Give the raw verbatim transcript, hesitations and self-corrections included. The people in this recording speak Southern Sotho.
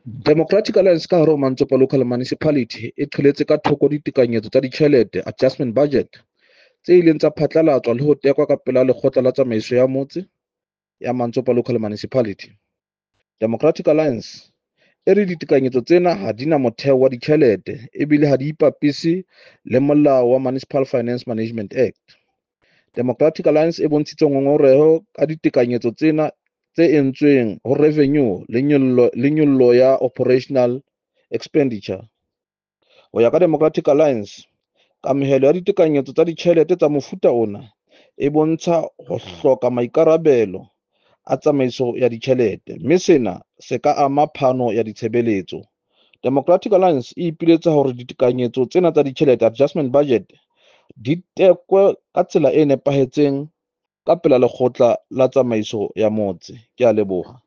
Democratic Alliance ka hare ho Mantsopa Local Municipality e qheletse ka thoko ditekanyetso tsa ditjhelete, adjustment budget, tse ileng tsa phatlalatswa le ho tekwa ka pela lekgotla la tsamaiso ya motse ya Mantsopa Local Municipality. Democratic Alliance e re ditekanyetso tsena ha di na motheo wa ditjhelete ebile ha di ipapise le molao wa Municipal Finance Management Act. Democratic Alliance e bontshitse ngongoreho ka ditekanyetso tsena tse entsweng ho revenue le nyollo le nyollo ya operational expenditure. Ho ya ka Democratic Alliance, kamohelo ya ditekanyetso tsa ditjhelete tsa mofuta ona e bontsha ho hloka maikarabelo a tsamaiso ya ditjhelete, mme sena se ka ama phano ya ditshebeletso. Democratic Alliance e ipiletsa hore ditekanyetso tsena tsa ditjhelete, adjustment budget, di tekwe ka tsela e nepahetseng ka pela lekgotla la tsamaiso ya motse. Ke a leboha.